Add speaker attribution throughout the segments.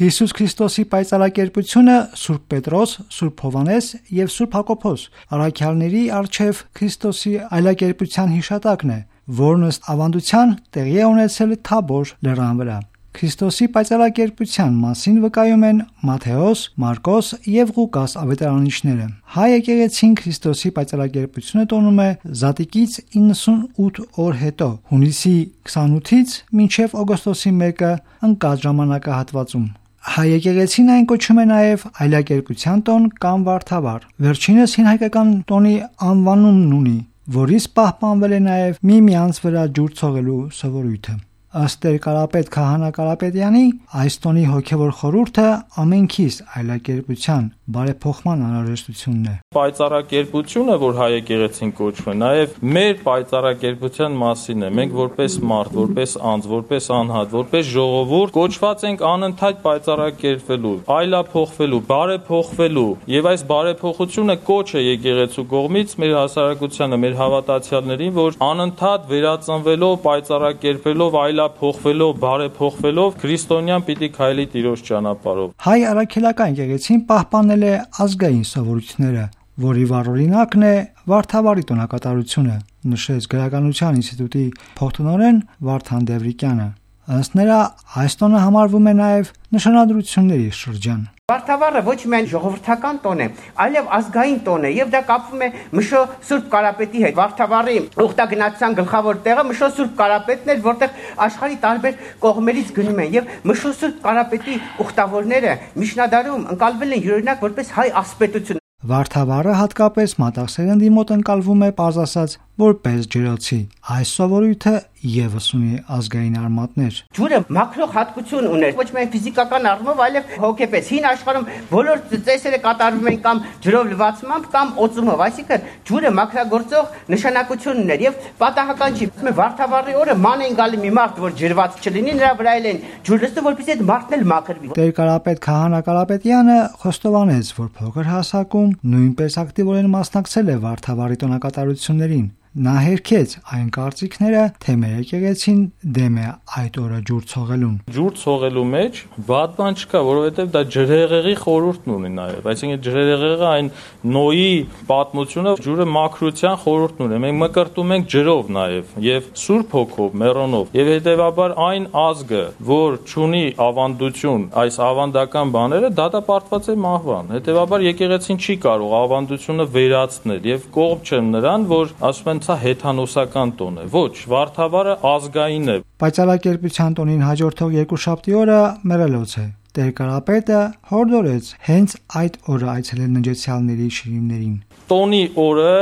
Speaker 1: Հիսուս Քրիստոսի պայծառակերպությունը Սուրբ Պետրոս, Սուրբ Հովհաննես եւ Սուրբ Հակոբոս առաքյալների արչեւ Քրիստոսի այլակերպության հիշատակն է, որն ըստ ավանդության տեղի է ունեցել Թաբոր լեռան վրա։ Քրիստոսի պայծառակերպության մասին վկայում են Մատթեոս, Մարկոս եւ Ղուկաս ավետարանիչները։ Հայ եկեղեցին Քրիստոսի պայծառակերպությունը տոնում է Զատիկից 98 օր հետո, հունիսի 28-ից մինչև օգոստոսի 1-ը ընկած ժամանակահատվածում։ Հայ եկեղեցին այն կոչում է նաև այլակերպության տոն կամ վարդավառ։ Վերջինս հին հայկական տոնի անվանումն ունի, որից պահպանվել է նաև միմյանց վրա ջուր ցողելու սովորույթը։ Ըստ Տեր Կարապետ Քահանա Կարապետյանի, այս տոնի հոգևոր խորհուրդը ամենքիս այլակերպության բարեփոխման անհրաժեշտությունն է։
Speaker 2: Պայծառակերպությունը, որ հայ եկեղեցին կոչվում է, նաև մեր պայծառակերպության մասին է։ Մենք որպես մարդ, որպես անձ, որպես անհատ, որպես ժողովուրդ կոչված ենք անընդհատ պայծառակերպվելու, այլափոխվելու, բարեփոխվելու, եւ այս բարեփոխությունը կոչ է եկեղեցու կողմից մեր հասարակությանը, մեր հավատացյալներին, որ անընդհատ վերածնվելով, պայծառակերպելով, փոխվելով, բարեփոխվելով քրիստոնյան պիտի քայլի Տիրոջ ճանապարհով։
Speaker 1: Հայ առաքելական եկեղեցին պահպանել է ազգային սովորույթները, որի վառօրինակն է վարդավառի տոնակատարությունը, նշեց Գրականության ինստիտուտի փոխտնօրեն Վարդան Դևրիկյանը։ Ըստ նրա, այս տոնը համարվում է նաև նշանադրությունների շրջան։
Speaker 3: Վարդավառը ոչ միայն ժողովրդական տոն է, այլև ազգային տոն է, եւ դա կապվում է Մշո Սուրբ Կարապետի հետ։ Վարդավառի ուխտագնացության գլխավոր տեղը Մշո Սուրբ Կարապետն էր, որտեղ աշխարհի տարբեր կողմերից գնում են, եւ Մշո Սուրբ Կարապետի ուխտավորները միջնադարում ընկալվել են յուրօրինակ որպես հայ ասպետություն։
Speaker 1: Վարդավառը հատկապես մատաղ սերնդի մոտ ընկալվում է պարզ ասած որպես ջրոցի։ Այս սովորույթը եւս ունի ազգային արմատներ։
Speaker 3: Ջուրը մաքրող հատկություն ուներ, ոչ միայն ֆիզիկական առումով, այլև հոգեպես։ Հին աշխարհում բոլոր ծեսերը կատարվում են կամ ջրով լվացմամբ կամ օծումով, այսինքն ջուրը մաքրագործող նշանակություն ուներ եւ պատահական չի։ Վարդավառի օրը ման են գալի մի մարդ, որ ջրված չլինի, նրա վրա են ջուր լցնում, որպեսզի այդ մարդն էլ մաքրվի։
Speaker 1: Տեր Կարապետ Քահանա Կարապետյանը խոստովանեց, որ փոքր հասակում նույնպես ակտիվորեն մասնակցել է վարդավառի տոնակատարություններին։ Նա հերքեց այն կարծիքները, թե մեր եկեղեցին դեմ է այդ օրը ջուր ցողելուն։
Speaker 2: Ջուր ցողելու մեջ վատ բան չկա, որովհետև դա ջրհեղեղի խորհուրդն ունի նաև։ Այսինքն ջրհեղեղը այն Նոյի պատմությունը ջուրը մաքրության խորհուրդն ունի։ Մենք մկրտում ենք ջրով նաև եւ Սուրբ Հոգով, մեռոնով։ Եվ հետեւաբար այն ազգը, որ չունի ավանդություն, այս ավանդական բաները դատապարտված է մահվան։ Հետեւաբար եկեղեցին չի կարող ավանդությունը վերացնել եւ կողմ չեմ նրան, որ ասում են սա հեթանոսական տոն է։ Ոչ, վարդավառը ազգային է։
Speaker 1: Պայծառակերպության տոնին հաջորդող երկուշաբթի օրը մեռելոց է։ Տեր Կարապետը հորդորեց հենց այդ օրը այցելել նջեցյալների շիրիմներին։
Speaker 2: Տոնի օրը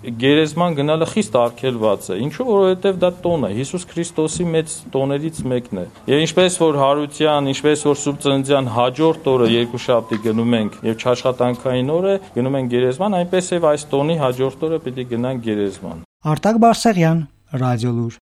Speaker 2: գերեզման գնալը խիստ արգելված է։ Ինչու՞, որովհետև դա տոն է, Հիսուս Քրիստոսի մեծ տոներից մեկն է։ Եվ ինչպես որ հարության, ինչպես որ Սուրբ Ծննդյան հաջորդ օրը երկուշաբթի գնում ենք եւ չաշխատանքային օրը գնում ենք գերեզման, այնպես եւ այս տոնի հաջորդ օրը պիտի գնանք գերեզման։
Speaker 1: Արտակ Բարսեղյան, Ռադիոլուր։